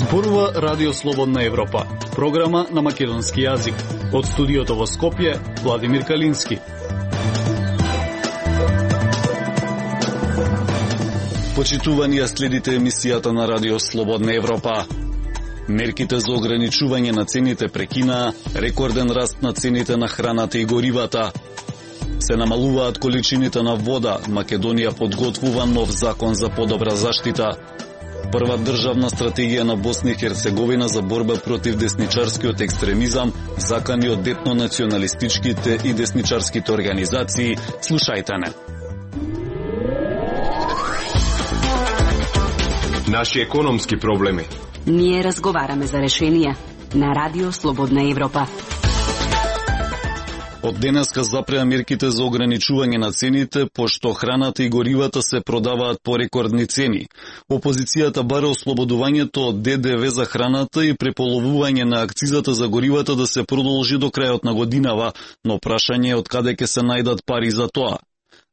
Зборува Радио Слободна Европа, програма на македонски јазик. Од студиото во Скопје, Владимир Калински. Почитувани, ја следите емисијата на Радио Слободна Европа. Мерките за ограничување на цените прекинаа, рекорден раст на цените на храната и горивата. Се намалуваат количините на вода, Македонија подготвува нов закон за подобра заштита. Прва државна стратегија на Босна и Херцеговина за борба против десничарскиот екстремизам, закани од етнонационалистичките и десничарските организации. Слушајте не. Наши економски проблеми. Ние разговараме за решенија на Радио Слободна Европа. Од денеска запреа мерките за ограничување на цените, пошто храната и горивата се продаваат по рекордни цени. Опозицијата бара ослободувањето од ДДВ за храната и преполовување на акцизата за горивата да се продолжи до крајот на годинава, но прашање е од каде ќе се најдат пари за тоа.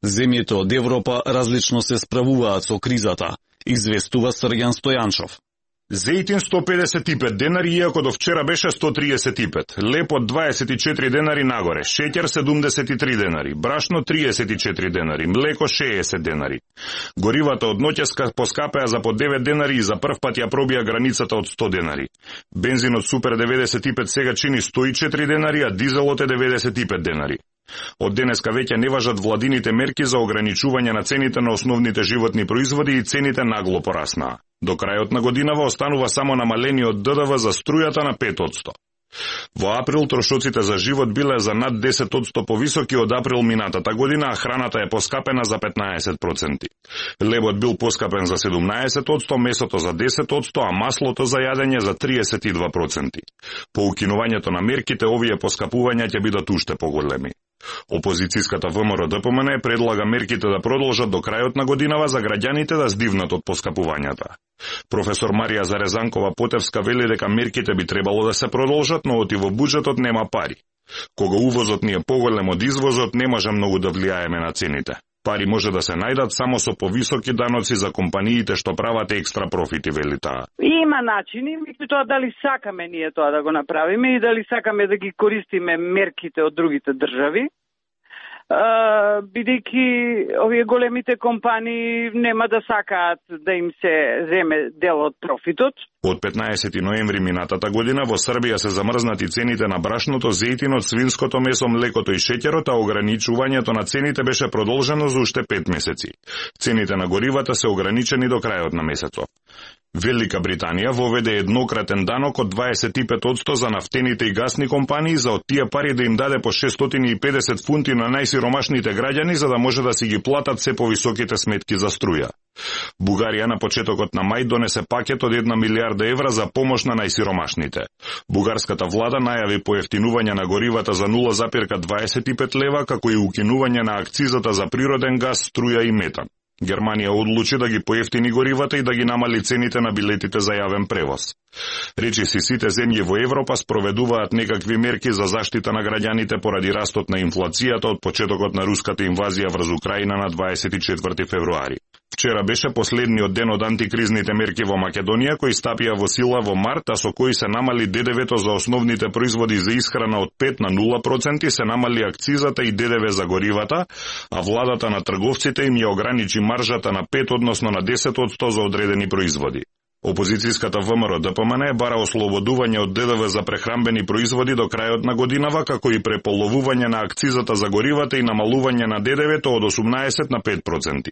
Земјите од Европа различно се справуваат со кризата, известува Срѓан Стојанчов. Зејтин 155 денари, иако до вчера беше 135. Леп од 24 денари нагоре. Шеќер 73 денари. Брашно 34 денари. Млеко 60 денари. Горивата од ноќеска поскапеа за по 9 денари и за прв пат ја пробија границата од 100 денари. Бензинот Супер 95 сега чини 104 денари, а дизелот е 95 денари. Од денеска веќе не важат владините мерки за ограничување на цените на основните животни производи и цените нагло пораснаа. До крајот на годинава останува само намалениот ДДВ за струјата на 5%. Во април трошоците за живот биле за над 10% повисоки од април минатата година, а храната е поскапена за 15%. Лебот бил поскапен за 17%, месото за 10%, а маслото за јадење за 32%. По укинувањето на мерките, овие поскапувања ќе бидат уште поголеми. Опозицијската ВМРО-ДПМН предлага мерките да продолжат до крајот на годинава за граѓаните да здивнат од поскапувањата. Професор Марија Зарезанкова-Потевска вели дека мерките би требало да се продолжат, но оти во буџетот нема пари. Кога увозот ни е поголем од извозот, не може многу да влијаеме на цените. Пари може да се најдат само со повисоки даноци за компаниите што прават екстра профити, вели таа. Има начини, меѓутоа дали сакаме ние тоа да го направиме и дали сакаме да ги користиме мерките од другите држави, бидејќи овие големите компании нема да сакаат да им се земе дел од профитот. Од 15 ноември минатата година во Србија се замрзнати цените на брашното, зејтинот, свинското месо, млекото и шеќерот, а ограничувањето на цените беше продолжено за уште 5 месеци. Цените на горивата се ограничени до крајот на месецот. Велика Британија воведе еднократен данок од 25% за нафтените и гасни компании за од тие пари да им даде по 650 фунти на најсиромашните граѓани за да може да си ги платат се повисоките сметки за струја. Бугарија на почетокот на мај донесе пакет од 1 милиарда евра за помош на најсиромашните. Бугарската влада најави поевтинување на горивата за 0,25 лева, како и укинување на акцизата за природен газ, струја и метан. Германија одлучи да ги поевтини горивата и да ги намали цените на билетите за јавен превоз. Речиси сите земји во Европа спроведуваат некакви мерки за заштита на граѓаните поради растот на инфлацијата од почетокот на руската инвазија врз Украина на 24 февруари. Вчера беше последниот ден од антикризните мерки во Македонија, кои стапија во сила во март, а со кои се намали ДДВ-то за основните производи за исхрана од 5 на 0%, се намали акцизата и ДДВ за горивата, а владата на трговците им ја ограничи маржата на 5, односно на 10% за одредени производи. Опозицијската ВМРО-ДПМН бара ослободување од ДДВ за прехранбени производи до крајот на годинава, како и преполовување на акцизата за горивата и намалување на ДДВ-то од 18 на 5%.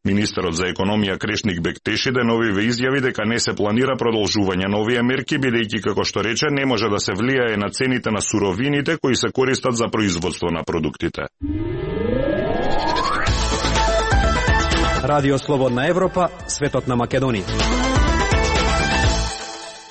Министерот за економија Крешник Бектеши деновиве изјави дека не се планира продолжување на овие мерки, бидејќи, како што рече, не може да се влијае на цените на суровините кои се користат за производство на продуктите. Радио Слободна Европа, светот на Македонија.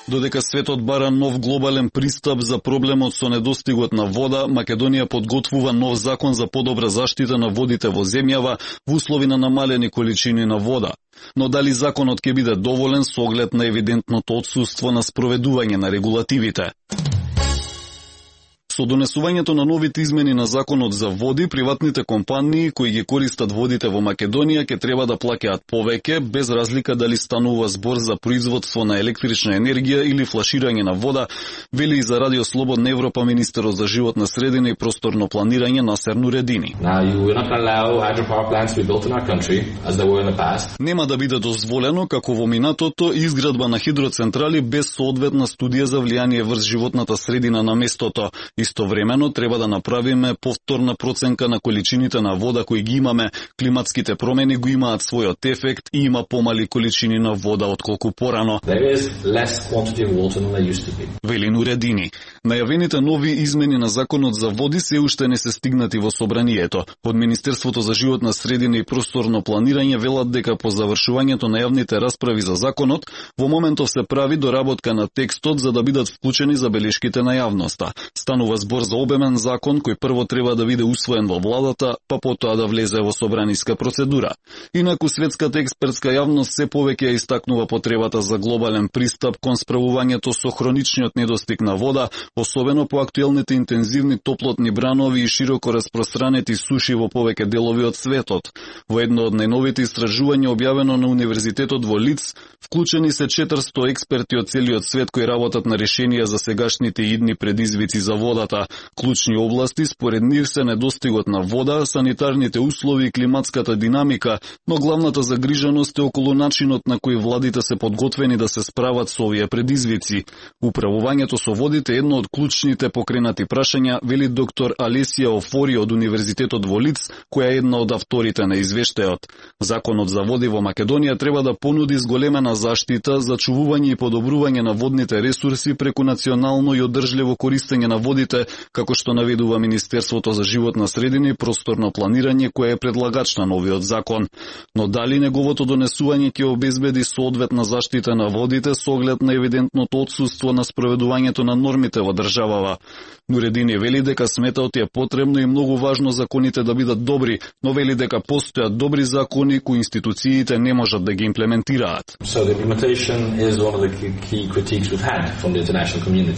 Додека светот бара нов глобален пристап за проблемот со недостигот на вода, Македонија подготвува нов закон за подобра заштита на водите во земјава во услови на намалени количини на вода. Но дали законот ќе биде доволен со оглед на евидентното отсуство на спроведување на регулативите? Со донесувањето на новите измени на законот за води, приватните компании кои ги користат водите во Македонија ќе треба да плаќаат повеќе, без разлика дали станува збор за производство на електрична енергија или флаширање на вода, вели и за Радио Слободна Европа министерот за животна средина и просторно планирање Насер Нуредини. Нема да биде дозволено, како во минатото, изградба на хидроцентрали без соодветна студија за влијание врз животната средина на местото. Истовремено треба да направиме повторна проценка на количините на вода кои ги имаме. Климатските промени го имаат својот ефект и има помали количини на вода отколку порано. Вели Нуредини. Најавените нови измени на законот за води се уште не се стигнати во собранието. Од Министерството за животна средина и просторно планирање велат дека по завршувањето на јавните расправи за законот, во моментов се прави доработка на текстот за да бидат вклучени забелешките на јавноста. Станува збор за обемен закон кој прво треба да биде усвоен во владата, па потоа да влезе во собраниска процедура. Инаку светската експертска јавност се повеќе истакнува потребата за глобален пристап кон справувањето со хроничниот недостиг на вода, особено по актуелните интензивни топлотни бранови и широко распространети суши во повеќе делови од светот. Во едно од најновите истражувања објавено на Универзитетот во Лиц, вклучени се 400 експерти од целиот свет кои работат на решенија за сегашните идни предизвици за водата. Клучни области според нив се недостигот на вода, санитарните услови и климатската динамика, но главната загриженост е околу начинот на кој владите се подготвени да се справат со овие предизвици. Управувањето со водите е едно од клучните покренати прашања, вели доктор Алесија Офори од Универзитетот во Лиц, која е една од авторите на извештајот. Законот за води во Македонија треба да понуди зголемена заштита, зачувување и подобрување на водните ресурси преку национално и одржливо користење на водите, како што наведува Министерството за животна средина и просторно планирање, кој е предлагач на новиот закон. Но дали неговото донесување ќе обезбеди соодветна заштита на водите со оглед на евидентното отсуство на спроведувањето на нормите во државава? Нуредини вели дека сметаот е потребно и многу важно законите да бидат добри, но вели дека постојат добри закони кои институциите не можат да ги имплементираат.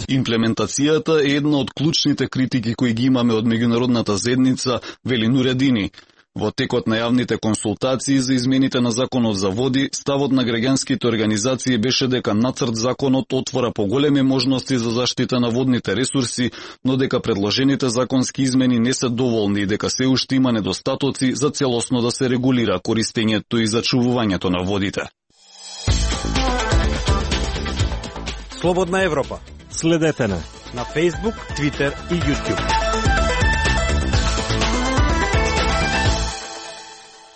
Имплементацијата е една од клучните критики кои ги имаме од меѓународната заедница, вели Нуредини. Во текот на јавните консултации за измените на законот за води, ставот на граѓанските организации беше дека нацрт законот отвора поголеми можности за заштита на водните ресурси, но дека предложените законски измени не се доволни и дека се уште има недостатоци за целосно да се регулира користењето и зачувувањето на водите. Слободна Европа. Следете на Facebook, Twitter и YouTube.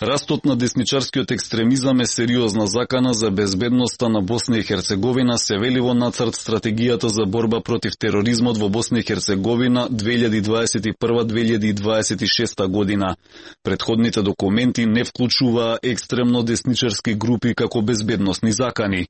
Растот на десничарскиот екстремизам е сериозна закана за безбедноста на Босна и Херцеговина, се вели во нацрт стратегијата за борба против тероризмот во Босна и Херцеговина 2021-2026 година. Предходните документи не вклучуваа екстремно десничарски групи како безбедносни закани.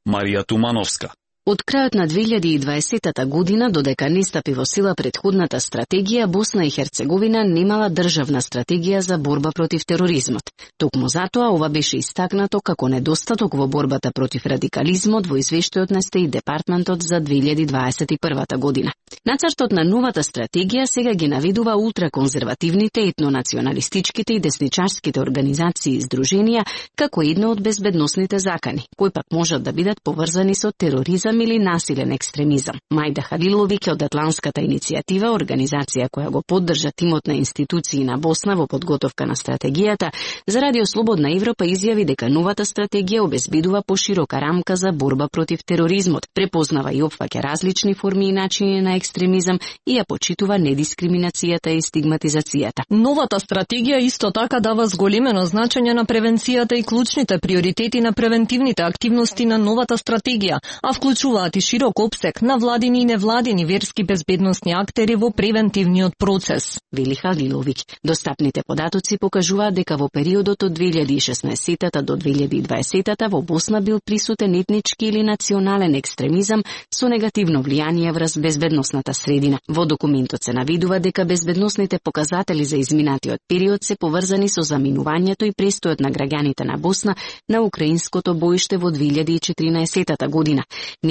Марија Тумановска. Од крајот на 2020 година, додека не стапи во сила предходната стратегија, Босна и Херцеговина немала државна стратегија за борба против тероризмот. Токму затоа ова беше истакнато како недостаток во борбата против радикализмот во извештајот на Стејт Департментот за 2021 година. Нацртот на новата стратегија сега ги наведува ултраконзервативните, етнонационалистичките и десничарските организации и здруженија како едно од безбедносните закани, кои пак можат да бидат поврзани со тероризам или насилен екстремизам. Мајда Халиловиќ од Атлантската иницијатива, организација која го поддржа тимот на институции на Босна во подготовка на стратегијата, за Радио Слободна Европа изјави дека новата стратегија обезбедува поширока рамка за борба против тероризмот, препознава и опфаќа различни форми и начини на екстремизам и ја почитува недискриминацијата и стигматизацијата. Новата стратегија исто така дава зголемено значење на превенцијата и клучните приоритети на превентивните активности на новата стратегија, а вклучуваат и широк опсек на владини и невладини верски безбедносни актери во превентивниот процес. Вели Халиловиќ. Достапните податоци покажуваат дека во периодот од 2016 до 2020 во Босна бил присутен етнички или национален екстремизам со негативно влијание врз безбедносната средина. Во документот се наведува дека безбедносните показатели за изминатиот период се поврзани со заминувањето и престојот на граѓаните на Босна на украинското боиште во 2014 година.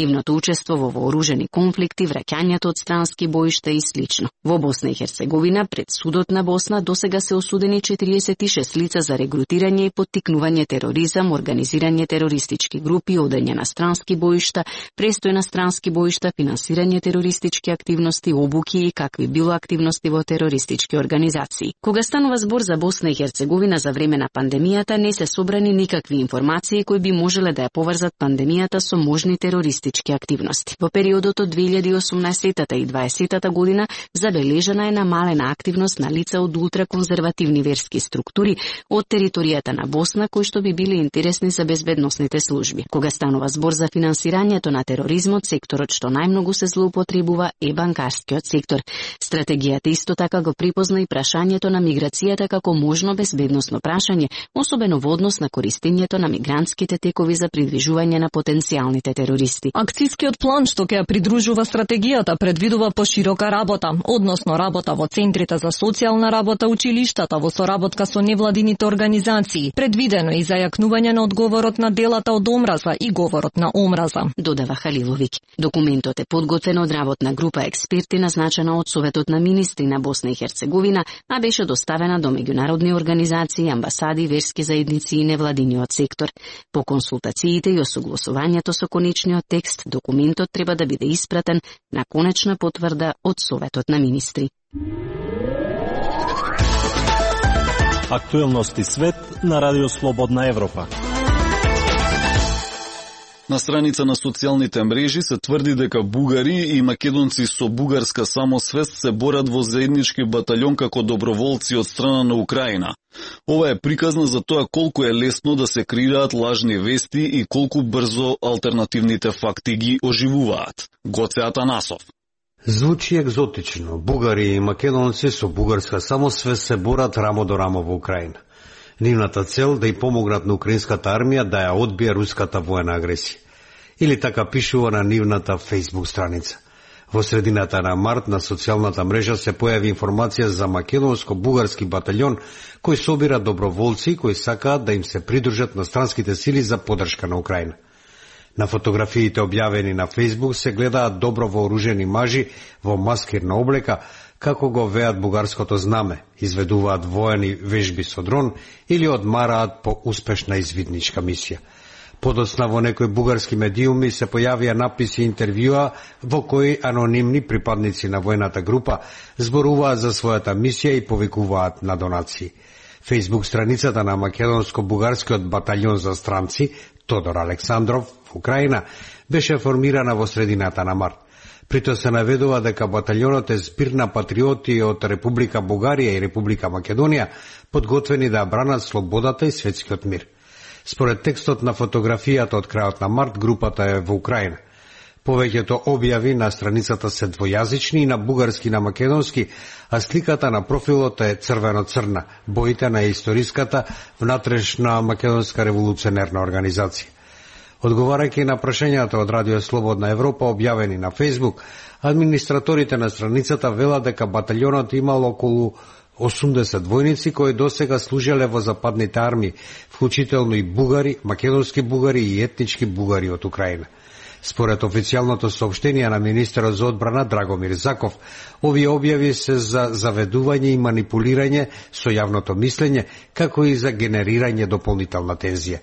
нивното учество во вооружени конфликти, враќањето од странски боишта и слично. Во Босна и Херцеговина, пред судот на Босна, досега се осудени 46 лица за регрутирање и поттикнување тероризам, организирање терористички групи, одење на странски боишта, престој на странски боишта, финансирање терористички активности, обуки и какви било активности во терористички организации. Кога станува збор за Босна и Херцеговина за време на пандемијата, не се собрани никакви информации кои би можеле да ја поврзат пандемијата со можни терористички активности. Во периодот од 2018 и 2020 година забележана е намалена активност на лица од ултраконзервативни верски структури од територијата на Босна кои што би били интересни за безбедносните служби. Кога станува збор за финансирањето на тероризмот, секторот што најмногу се злоупотребува е банкарскиот сектор. Стратегијата исто така го припозна и прашањето на миграцијата како можно безбедносно прашање, особено во однос на користењето на мигрантските текови за придвижување на потенцијалните терористи. Акцискиот план што ќе ја придружува стратегијата предвидува поширока работа, односно работа во центрите за социјална работа, училиштата во соработка со невладините организации. Предвидено и зајакнување на одговорот на делата од омраза и говорот на омраза, додава Халиловиќ. Документот е подготвен од работна група експерти назначена од Советот на министри на Босна и Херцеговина, а беше доставена до меѓународни организации, амбасади, верски заедници и невладиниот сектор. По консултациите и осогласувањето со конечниот текст, документот треба да биде испратен на конечна потврда од Советот на министри. Актуелности свет на Радио Слободна Европа. На страница на социјалните мрежи се тврди дека бугари и македонци со бугарска самосвест се борат во заеднички баталјон како доброволци од страна на Украина. Ова е приказна за тоа колку е лесно да се креираат лажни вести и колку брзо алтернативните факти ги оживуваат. Гоце Атанасов. Звучи екзотично. Бугари и македонци со бугарска самосвест се борат рамо до рамо во Украина. Нивната цел да ја помогнат на украинската армија да ја одбие руската воена агресија. Или така пишува на нивната Facebook страница. Во средината на март на социјалната мрежа се појави информација за македонско-бугарски батальон кој собира доброволци кои сакаат да им се придружат на странските сили за поддршка на Украина. На фотографиите објавени на Facebook се гледаат добро вооружени мажи во маскирна облека, како го веат бугарското знаме, изведуваат воени вежби со дрон или одмараат по успешна извидничка мисија. Подоцна во некои бугарски медиуми се појавија написи и интервјуа во кои анонимни припадници на воената група зборуваат за својата мисија и повикуваат на донации. Фејсбук страницата на македонско-бугарскиот баталјон за странци Тодор Александров в Украина беше формирана во средината на март. Прито се наведува дека баталјонот е збир на патриоти од Република Бугарија и Република Македонија, подготвени да бранат слободата и светскиот мир. Според текстот на фотографијата од крајот на март, групата е во Украина. Повеќето објави на страницата се двојазични и на бугарски и на македонски, а сликата на профилот е црвено-црна, боите на историската внатрешна македонска револуционерна организација. Одговарајќи на прашањата од Радио Слободна Европа објавени на Фејсбук, администраторите на страницата велат дека баталјонот имал околу 80 војници кои досега служеле во западните армии, вклучително и бугари, македонски бугари и етнички бугари од Украина. Според официјалното соопштение на министерот за одбрана Драгомир Заков, овие објави се за заведување и манипулирање со јавното мислење, како и за генерирање дополнителна тензија.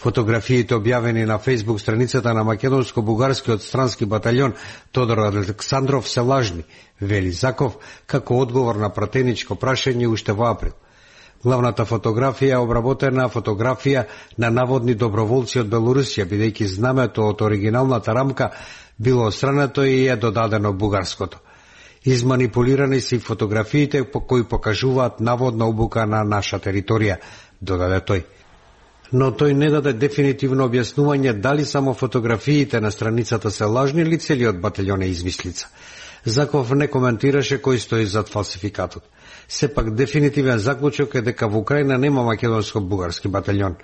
Фотографиите објавени на Фејсбук страницата на македонско-бугарскиот странски баталјон Тодор Александров се лажни, вели Заков, како одговор на пратеничко прашање уште во април. Главната фотографија е обработена фотографија на наводни доброволци од Белорусија, бидејќи знамето од оригиналната рамка било осрането и е додадено бугарското. Изманипулирани се фотографиите кои покажуваат наводна обука на наша територија, додаде тој. Но тој не даде дефинитивно објаснување дали само фотографиите на страницата се лажни или целиот батальјон е измислица. Заков не коментираше кој стои зад фалсификатот. Сепак дефинитивен заклучок е дека во Украина нема македонско-бугарски батальјон.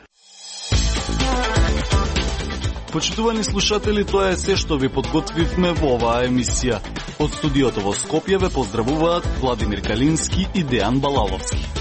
Почитувани слушатели, тоа е се што ви подготвивме во оваа емисија. Од студиото во Скопје ве поздравуваат Владимир Калински и Дејан Балаловски.